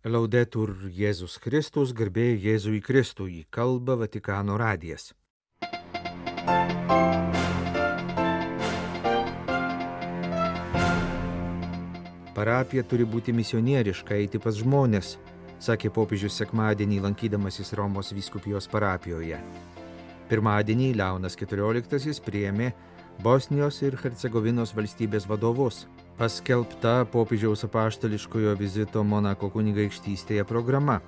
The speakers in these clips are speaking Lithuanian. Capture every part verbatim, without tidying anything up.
Laudetur Jėzus Kristus, garbė Jėzui Kristui, kalba Vatikano radijas. Parapija turi būti misionieriška, eiti pas žmonės, sakė popiežius sekmadienį lankydamasis Romos vyskupijos parapijoje. Pirmadienį Leonas keturioliktasis priėmė Bosnijos ir Hercegovinos valstybės vadovus. Paskelbta popiežiaus apaštališkojo vizito Monako kunigaikštystėje programa.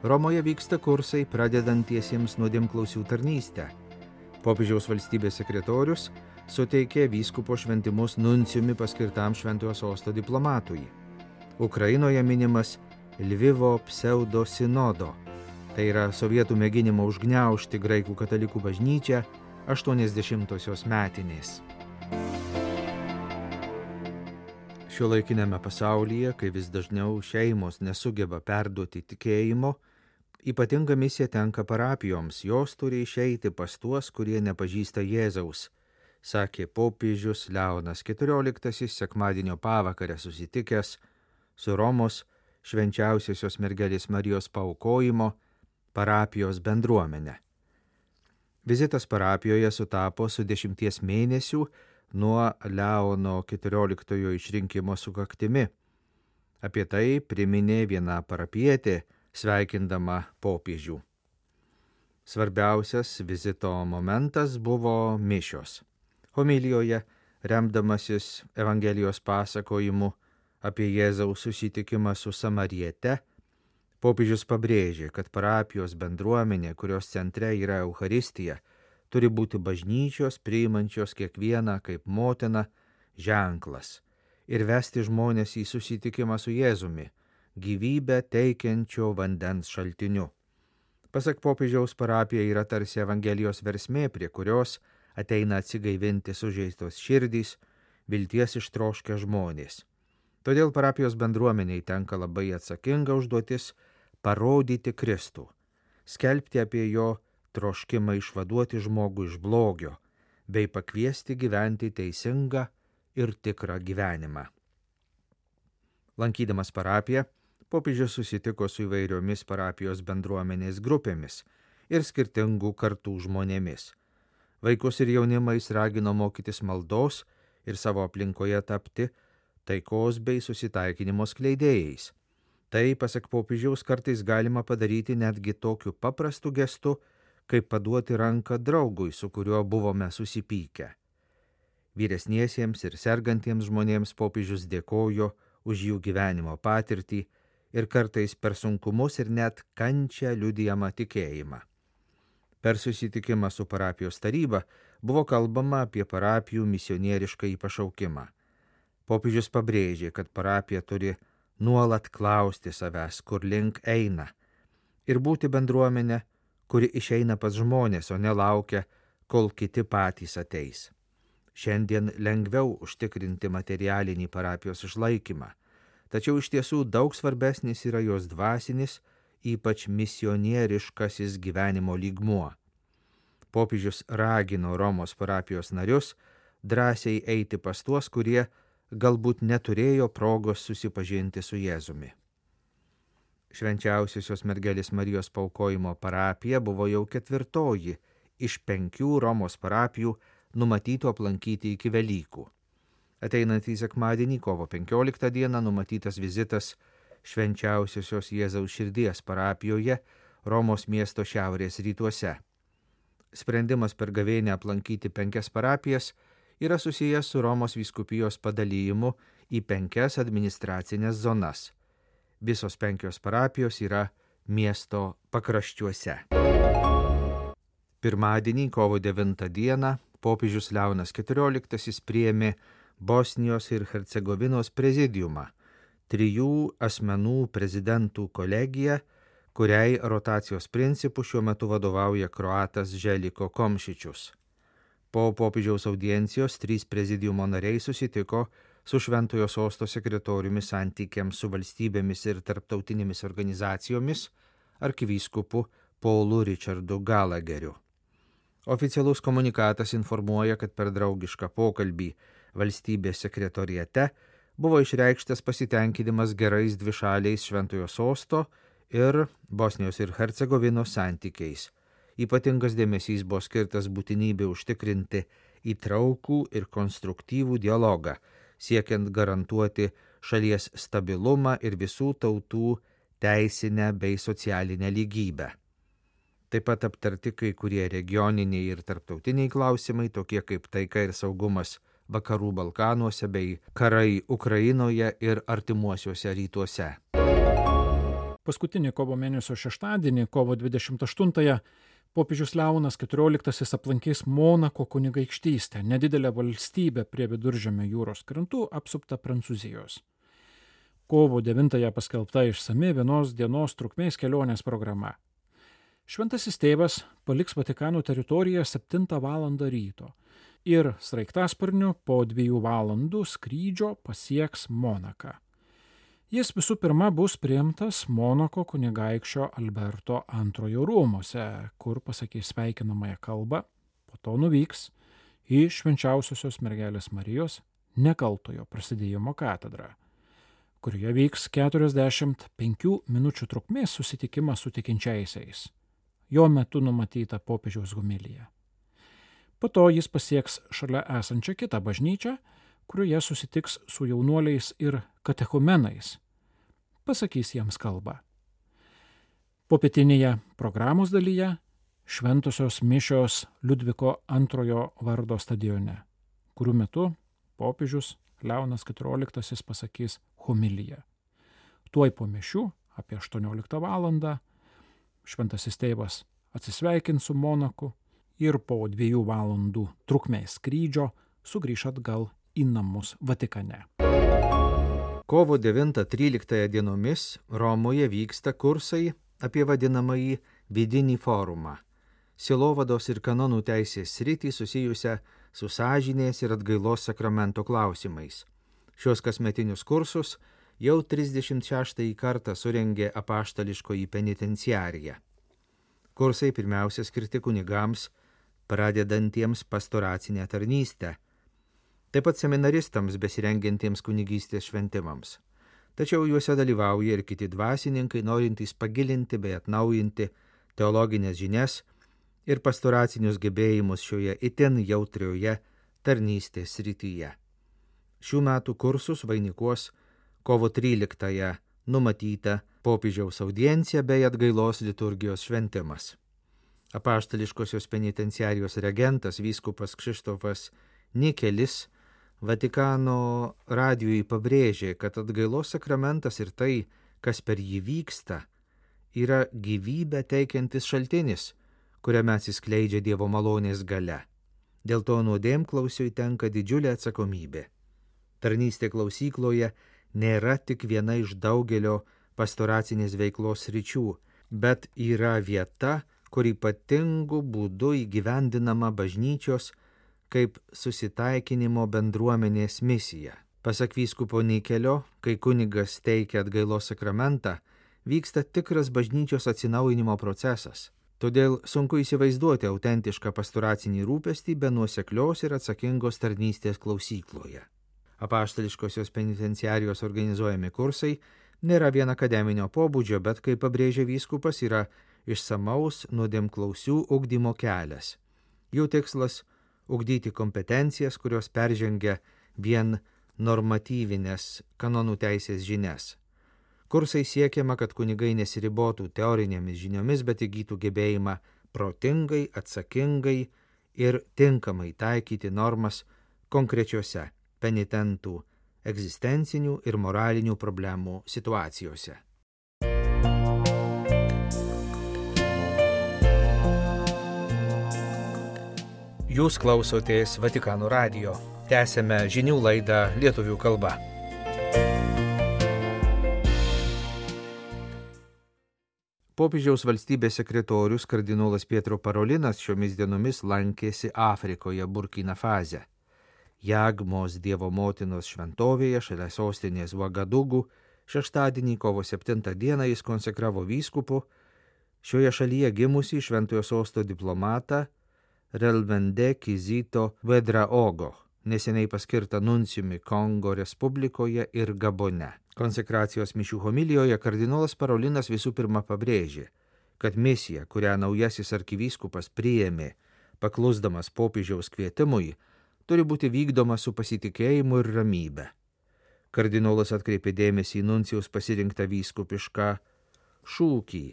Romoje vyksta kursai pradedantiesiems nuodėmklausių tarnystę. Popiežiaus valstybės sekretorius suteikė vyskupo šventimus nuncijumi paskirtam Šventojo sosto diplomatui. Ukrainoje minimas Lvivo pseudo sinodo, tai yra sovietų mėginimo užgniaužti graikų katalikų bažnyčią aštuoniasdešimtosios metinės. Šiuolaikiniame pasaulyje, kai vis dažniau šeimos nesugeba perduoti tikėjimo, ypatinga misija tenka parapijoms, jos turi išeiti pas tuos, kurie nepažįsta Jėzaus, sakė popiežius Leonas keturioliktasis sekmadienio pavakarę susitikęs su Romos švenčiausiosios mergelės Marijos paaukojimo parapijos bendruomenė. Vizitas parapijoje sutapo su dešimties mėnesių nuo Leono keturioliktojo išrinkimo sukaktimi. Apie tai priminė viena parapietė, sveikindama popiežių. Svarbiausias vizito momentas buvo mišios. Homilijoje, remdamasis Evangelijos pasakojimu apie Jėzaus susitikimą su Samariete, popiežius pabrėžė, kad parapijos bendruomenė, kurios centre yra Eucharistija, turi būti bažnyčios priimančios kiekvieną kaip motiną ženklas ir vesti žmonės į susitikimą su Jėzumi, gyvybę teikiančio vandens šaltiniu. Pasak popiežiaus, parapija yra tarsi Evangelijos versmė, prie kurios ateina atsigaivinti sužeistos širdys, vilties ištroškę žmonės. Todėl parapijos bendruomeniai tenka labai atsakinga užduotis parodyti Kristų, skelbti apie jo troškimą išvaduoti žmogų iš blogio, bei pakviesti gyventi teisingą ir tikrą gyvenimą. Lankydamas parapiją, popiežius susitiko su įvairiomis parapijos bendruomenės grupėmis ir skirtingų kartų žmonėmis. Vaikus ir jaunimą jis ragino mokytis maldos ir savo aplinkoje tapti taikos bei susitaikinimo skleidėjais. Tai, pasak popiežiaus, kartais galima padaryti netgi tokiu paprastu gestu, kaip paduoti ranką draugui, su kuriuo buvome susipykę. Vyresniesiems ir sergantiems žmonėms popiežius dėkojo už jų gyvenimo patirtį ir kartais per sunkumus ir net kančią liudijamą tikėjimą. Per susitikimą su parapijos taryba buvo kalbama apie parapijų misionieriškąjį pašaukimą. Popiežius pabrėžė, kad parapija turi nuolat klausti savęs, kur link eina, ir būti bendruomenė, kuri išeina pas žmonės, o nelaukia, kol kiti patys ateis. Šiandien lengviau užtikrinti materialinį parapijos išlaikymą, tačiau iš tiesų daug svarbesnis yra jos dvasinis, ypač misionieriškasis gyvenimo lygmuo. Popiežius ragino Romos parapijos narius drąsiai eiti pas tuos, kurie galbūt neturėjo progos susipažinti su Jėzumi. Švenčiausiosios mergelės Marijos paaukojimo parapija buvo jau ketvirtoji iš penkių Romos parapijų numatytų aplankyti iki Velykų. Ateinantį sekmadienį, kovo penkioliktą dieną, numatytas vizitas Švenčiausiosios Jėzaus širdies parapijoje Romos miesto šiaurės rytuose. Sprendimas per gavėnią aplankyti penkias parapijas yra susijęs su Romos vyskupijos padalyjimu į penkias administracinės zonas. Visos penkios parapijos yra miesto pakraščiuose. Pirmadienį, kovo devintą dieną, popiežius Leonas keturioliktasis priėmė Bosnijos ir Hercegovinos prezidiumą, trijų asmenų prezidentų kolegiją, kuriai rotacijos principų šiuo metu vadovauja kroatas Željko Komšičius. Po popiežiaus audiencijos trys prezidiumo nariai susitiko su Šventojo sosto sekretoriumi santykiams su valstybėmis ir tarptautinėmis organizacijomis arkivyskupu Paulu Richardu Gallagheriu. Oficialus komunikatas informuoja, kad per draugišką pokalbį valstybės sekretoriate buvo išreikštas pasitenkinimas gerais dvišaliais Šventojo sosto ir Bosnijos ir Hercegovinos santykiais. Ypatingas dėmesys buvo skirtas būtinybė užtikrinti įtraukų ir konstruktyvų dialogą, siekiant garantuoti šalies stabilumą ir visų tautų teisinę bei socialinę lygybę. Taip pat aptarti kai kurie regioniniai ir tarptautiniai klausimai, tokie kaip taika ir saugumas Vakarų Balkanuose bei karai Ukrainoje ir artimuosiuose rytuose. Paskutinį kovo mėnesio šeštadienį, kovo dvidešimt aštuntąją, popiežius Leonas keturioliktasis aplankys Monako kunigaikštystę, nedidelę valstybę prie Viduržemio jūros krantų apsuptą Prancūzijos. Kovo devintąją paskelbta išsami vienos dienos trukmės kelionės programa. Šventasis tėvas paliks Vatikano teritoriją septintą valandą ryto ir sraigtasparniu po dviejų valandų skrydžio pasieks Monaką. Jis visų pirma bus priimtas Monako kunigaikščio Alberto antrojo rūmuose, kur pasakys sveikinamąją kalbą, po to nuvyks į Švenčiausiosios mergelės Marijos Nekaltojo prasidėjimo katedrą, kurioje vyks keturiasdešimt penkių minučių trukmės susitikimas su tikinčiaisiais. Jo metu numatyta popiežiaus homilija. Po to jis pasieks šalia esančią kitą bažnyčią, kurioje susitiks su jaunuoliais ir katechumenais, pasakys jiems kalbą. Popietinėje programos dalyje šventosios mišios Liudviko antrojo vardo stadione, kurių metu popiežius Leonas keturioliktasis pasakys homiliją. Tuoj po mišių, apie aštuonioliktą valandą, šventasis tėvas atsisveikins su Monaku ir po dviejų valandų trukmės skrydžio sugrįš atgal į namus Vatikane. Kovo devintą tryliktąją dienomis Romoje vyksta kursai apie vadinamąjį vidinį forumą, sielovados ir kanonų teisės sritį susijusią su sąžinės ir atgailos sakramento klausimais. Šios kasmetinius kursus jau trisdešimt šeštąjį kartą surengė apaštališkoji penitenciarija. Kursai pirmiausia skirti kunigams, pradedantiems pastoracinę tarnystę, taip pat seminaristams besirengiantiems kunigystės šventimams. Tačiau juose dalyvauja ir kiti dvasininkai, norintys pagilinti bei atnaujinti teologinės žinias ir pastoracinius gebėjimus šioje itin jautrioje tarnystės srityje. Šių metų kursus vainikuos kovo tryliktąją numatyta popiežiaus audiencija bei atgailos liturgijos šventimas. Apaštališkosios penitenciarijos regentas vyskupas Kšištofas Nikelis Vatikano radijui pabrėžė, kad atgailos sakramentas ir tai, kas per jį vyksta, yra gyvybę teikiantis šaltinis, kuriame atsiskleidžia Dievo malonės galia. Dėl to nuodėmklausiui tenka didžiulė atsakomybė. Tarnystė klausykloje nėra tik viena iš daugelio pastoracinės veiklos sričių, bet yra vieta, kur ypatingu būdu įgyvendinama bažnyčios kaip susitaikinimo bendruomenės misija. Pasak vyskupo Nikelio, kai kunigas teikia atgailos sakramentą, vyksta tikras bažnyčios atsinaujinimo procesas. Todėl sunku įsivaizduoti autentišką pastoracinį rūpestį be nuoseklios ir atsakingos tarnystės klausykloje. Apaštališkosios penitenciarijos organizuojami kursai nėra vien akademinio pobūdžio, bet, kaip pabrėžia vyskupas, yra išsamaus nuodėmklausių ugdymo kelias. Jų tikslas – ugdyti kompetencijas, kurios peržengia vien normatyvinės kanonų teisės žinias. Kursai siekiama, kad kunigai nesiribotų teorinėmis žiniomis, bet įgytų gebėjimą protingai, atsakingai ir tinkamai taikyti normas konkrečiose penitentų egzistencinių ir moralinių problemų situacijose. Jūs klausotės Vatikano radijo. Tęsėme žinių laidą lietuvių kalba. Popiežiaus valstybės sekretorius kardinolas Pietro Parolinas šiomis dienomis lankėsi Afrikoje Burkina Faze. Jagmos Dievo motinos šventovėje šalia sostinės Vagadugų šeštadienį kovo septintą dieną jis konsekravo vyskupu šioje šalyje gimusį šventojo sosto diplomatą Relvende Kizito Vedraogo, neseniai paskirtą nuncijumi Kongo Respublikoje ir Gabone. Konsekracijos mišių homilijoje kardinolas Parolinas visų pirma pabrėžė, kad misija, kurią naujasis arkivyskupas priėmė, paklusdamas popiežiaus kvietimui, turi būti vykdoma su pasitikėjimu ir ramybe. Kardinolas atkreipė dėmesį į nuncijaus pasirinktą vyskupišką šūkį,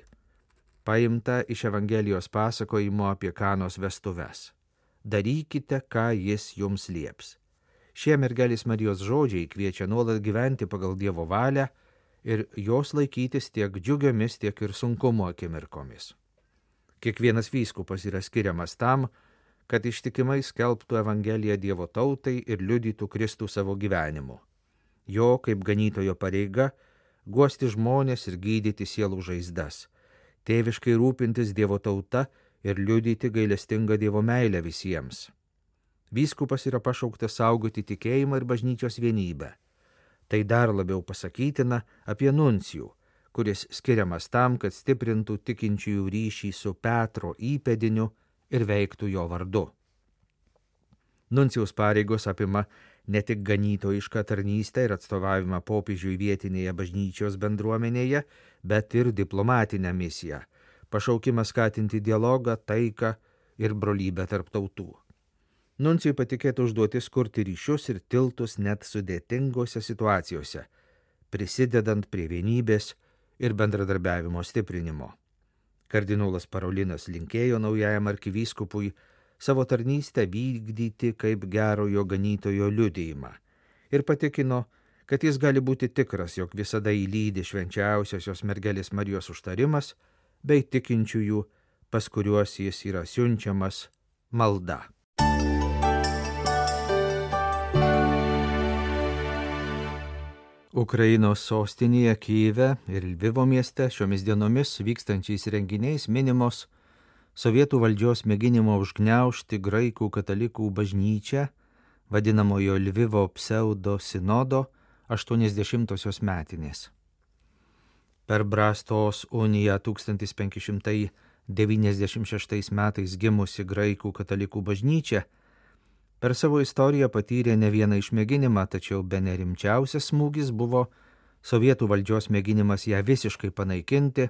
paimtą iš Evangelijos pasakojimo apie Kanos vestuves. Darykite, ką jis jums lieps. Šie mergelės Marijos žodžiai kviečia nuolat gyventi pagal Dievo valią ir jos laikytis tiek džiugiomis, tiek ir sunkumo akimirkomis. Kiekvienas vyskupas yra skiriamas tam, kad ištikimai skelbtų Evangeliją Dievo tautai ir liudytų Kristų savo gyvenimu. Jo, kaip ganytojo pareiga, guosti žmonės ir gydyti sielų žaizdas, tėviškai rūpintis Dievo tauta ir liudyti gailestingą Dievo meilę visiems. Vyskupas yra pašauktas saugoti tikėjimą ir bažnyčios vienybę. Tai dar labiau pasakytina apie nuncijų, kuris skiriamas tam, kad stiprintų tikinčiųjų ryšį su Petro įpėdiniu ir veiktų jo vardu. Nuncijaus pareigos apima ne tik ganytojišką tarnystę ir atstovavimą popiežiui vietinėje bažnyčios bendruomenėje, bet ir diplomatinę misiją, pašaukimą skatinti dialogą, taiką ir brolybę tarp tautų. Nuncijui patikėta užduotis kurti ryšius ir tiltus net sudėtingose situacijose, prisidedant prie vienybės ir bendradarbiavimo stiprinimo. Kardinolas Parolinas linkėjo naujajam arkivyskupui savo tarnystę vykdyti kaip gerojo ganytojo liudijimą ir patikino, kad jis gali būti tikras, jog visada įlydi švenčiausiosios mergelės Marijos užtarimas bei tikinčiųjų, pas kuriuos jis yra siunčiamas, malda. Ukrainos sostinėje Kyjive ir Lvivo mieste šiomis dienomis vykstančiais renginiais minimos sovietų valdžios mėginimo užgniaužti graikų katalikų bažnyčią, vadinamojo Lvivo pseudo sinodo aštuoniasdešimtosios metinės. Per Brastos uniją tūkstantis penki šimtai devyniasdešimt šeštais metais gimusi graikų katalikų bažnyčia per savo istoriją patyrė ne vieną išmėginimą, tačiau bene rimčiausias smūgis buvo sovietų valdžios mėginimas ją visiškai panaikinti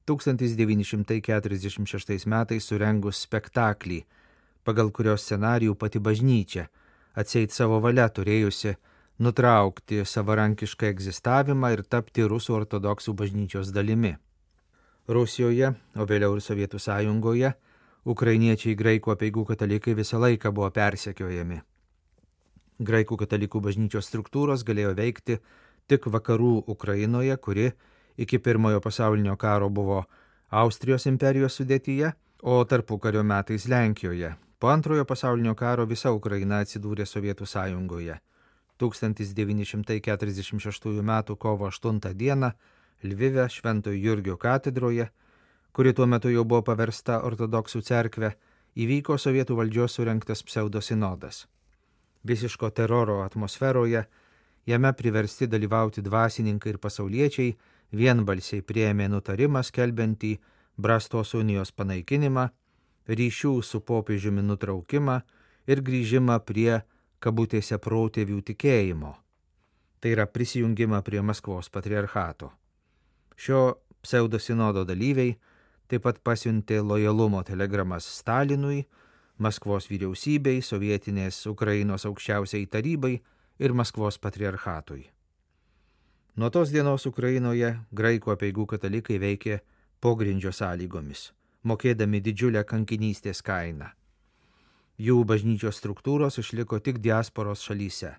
tūkstantis devyni šimtai keturiasdešimt šeštais metais surengus spektaklį, pagal kurios scenarijų pati bažnyčia, atseit savo valia turėjusi nutraukti savarankišką egzistavimą ir tapti rusų ortodoksų bažnyčios dalimi. Rusijoje, o vėliau ir Sovietų sąjungoje, ukrainiečiai graikų apeigų katalikai visą laiką buvo persekiojami. Graikų katalikų bažnyčios struktūros galėjo veikti tik vakarų Ukrainoje, kuri iki pirmojo pasaulinio karo buvo Austrijos imperijos sudėtyje, o tarpukario metais Lenkijoje. Po antrojo pasaulinio karo visa Ukraina atsidūrė Sovietų sąjungoje. tūkstantis devyni šimtai keturiasdešimt šeštųjų metų kovo aštuntą dieną Lvive Šventojo Jurgio katedroje, kuri tuo metu jau buvo paversta ortodoksų cerkve, įvyko sovietų valdžios surengtas pseudosinodas. Visiško teroro atmosferoje jame priversti dalyvauti dvasininkai ir pasauliečiai vienbalsiai priėmė nutarimą skelbiantį Brastos unijos panaikinimą, ryšių su popiežiumi nutraukimą ir grįžimą prie kabutėse protėvių tikėjimo. Tai yra prisijungimą prie Maskvos patriarchato. Šio pseudosinodo dalyviai taip pat pasiuntė lojalumo telegramas Stalinui, Maskvos vyriausybei, sovietinės Ukrainos aukščiausiai tarybai ir Maskvos patriarchatui. Nuo tos dienos Ukrainoje graikų apeigų katalikai veikė pogrindžio sąlygomis, mokėdami didžiulę kankinystės kainą. Jų bažnyčios struktūros išliko tik diasporos šalyse.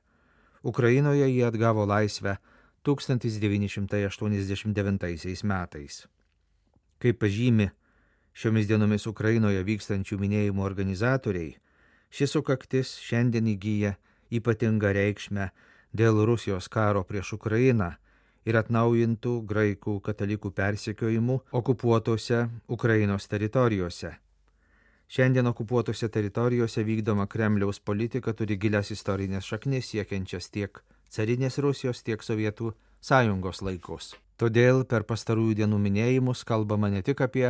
Ukrainoje jie atgavo laisvę tūkstantis devyni šimtai aštuoniasdešimt devintaisiais metais. Kaip pažymi šiomis dienomis Ukrainoje vykstančių minėjimų organizatoriai, šis sukaktis šiandien įgyja ypatingą reikšmę dėl Rusijos karo prieš Ukrainą ir atnaujintų graikų katalikų persekiojimų okupuotose Ukrainos teritorijose. Šiandien okupuotose teritorijose vykdoma Kremliaus politika turi gilias istorinės šaknis siekiančias tiek carinės Rusijos, tiek Sovietų sąjungos laikus. Todėl per pastarųjų dienų minėjimus kalbama ne tik apie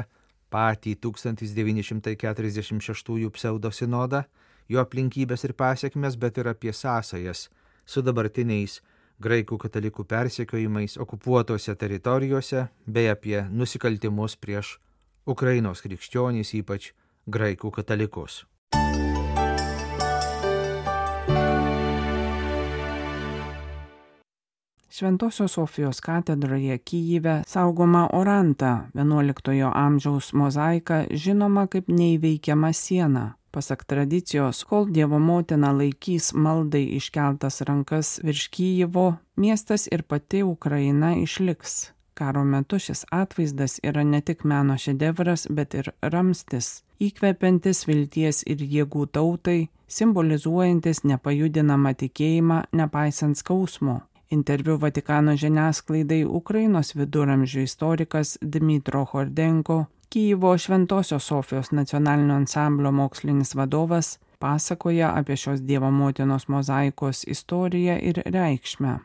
patį tūkstantis devyni šimtai keturiasdešimt šeštųjų pseudosinodą jo aplinkybės ir pasiekmes, bet ir apie sąsajas su dabartiniais graikų katalikų persekiojimais okupuotose teritorijose bei apie nusikaltimus prieš Ukrainos krikščionys, ypač graikų katalikus. Šventosios Sofijos katedroje Kyjive saugoma Oranta, vienuoliktojo amžiaus mozaika, žinoma kaip neįveikiama siena. Pasak tradicijos, kol Dievo motina laikys maldai iškeltas rankas virš Kyjivo, miestas ir pati Ukraina išliks. Karo metu šis atvaizdas yra ne tik meno šedevras, bet ir ramstis, įkvepiantis vilties ir jėgų tautai, simbolizuojantis nepajudinamą tikėjimą nepaisant skausmo. Interviu Vatikano žiniasklaidai Ukrainos viduramžių istorikas Dmytro Hordenko, Kyjivo Šventosios Sofijos nacionalinio ansamblio mokslinis vadovas, pasakoja apie šios Dievo motinos mozaikos istoriją ir reikšmę.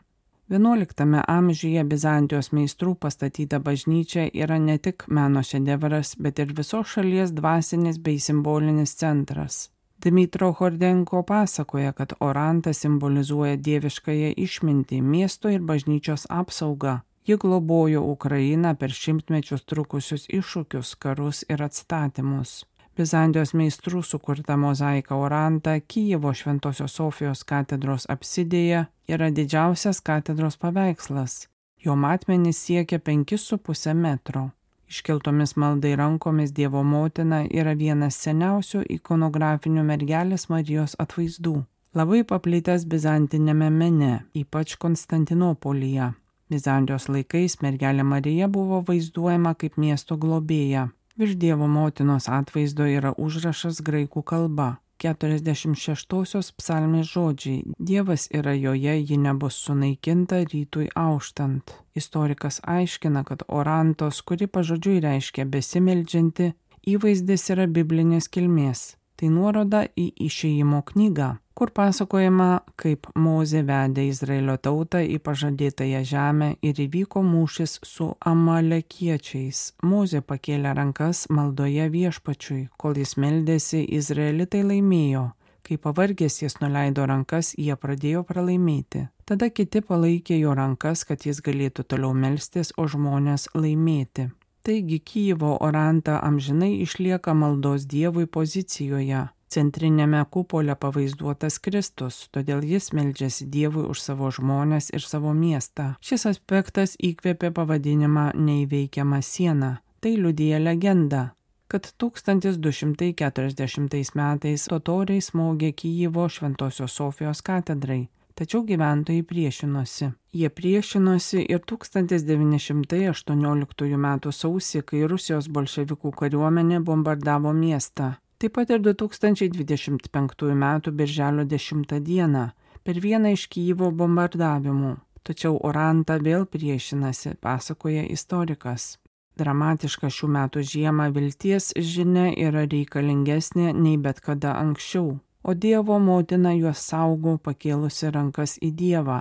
vienuoliktame amžiuje Bizantijos meistrų pastatyta bažnyčia yra ne tik meno šedevras, bet ir visos šalies dvasinis bei simbolinis centras. Dmytro Hordenko pasakoja, kad Oranta simbolizuoja dieviškąją išmintį, miesto ir bažnyčios apsaugą. Ji globojo Ukrainą per šimtmečius trukusius iššūkius, karus ir atstatymus. Bizantijos meistrų sukurta mozaika Oranta Kyjivo Šventosios Sofijos katedros apsidėje yra didžiausias katedros paveikslas. Jo matmenys siekia penkis su puse metro. Iškeltomis maldai rankomis Dievo motina yra vienas seniausių ikonografinių mergelės Marijos atvaizdų. Labai paplitęs bizantinėme mene, ypač Konstantinopolyje. Bizantijos laikais mergelė Marija buvo vaizduojama kaip miesto globėja. Virš Dievo motinos atvaizdo yra užrašas graikų kalba. keturiasdešimt šeštosios psalmės žodžiai: Dievas yra joje, ji nebus sunaikinta rytui auštant. Istorikas aiškina, kad Orantos, kuri pažodžiui reiškia besimeldžianti, įvaizdis yra biblinės kilmės. Tai nuoroda į Išėjimo knygą, kur pasakojama, kaip Mozė vedė Izraelio tautą į pažadėtąją žemę ir įvyko mūšis su amalekiečiais. Mozė pakėlė rankas maldoje viešpačiui, kol jis meldėsi, izraelitai laimėjo. Kai pavargęs jis nuleido rankas, jie pradėjo pralaimėti. Tada kiti palaikė jo rankas, kad jis galėtų toliau melstis, o žmonės laimėti. Taigi Kyjivo Oranta amžinai išlieka maldos Dievui pozicijoje. Centrinėme kupole pavaizduotas Kristus, todėl jis meldžiasi Dievui už savo žmones ir savo miestą. Šis aspektas įkvėpė pavadinimą neįveikiama siena. Tai liudija legenda, kad tūkstantis du šimtai keturiasdešimtais metais totoriai smogė Kyjivo Šventosios Sofijos katedrai. Tačiau gyventojai priešinosi. Jie priešinosi ir tūkstantis devyni šimtai aštuonioliktųjų metų sausį, kai Rusijos bolševikų kariuomenė bombardavo miestą. Taip pat ir du tūkstančiai dvidešimt penktųjų metų birželio dešimtą dieną per vieną iš Kyjivo bombardavimų. Tačiau Oranta vėl priešinasi, pasakoja istorikas. Dramatiška šių metų žiemą vilties žinia yra reikalingesnė nei bet kada anksčiau. O Dievo motina juos saugo pakėlusi rankas į Dievą.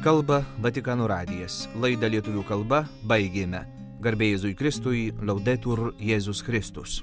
Kalba Vatikano radijas. Laidą lietuvių kalba baigėme. Garbė Jėzui Kristui, Laudetur Jėzus Kristus.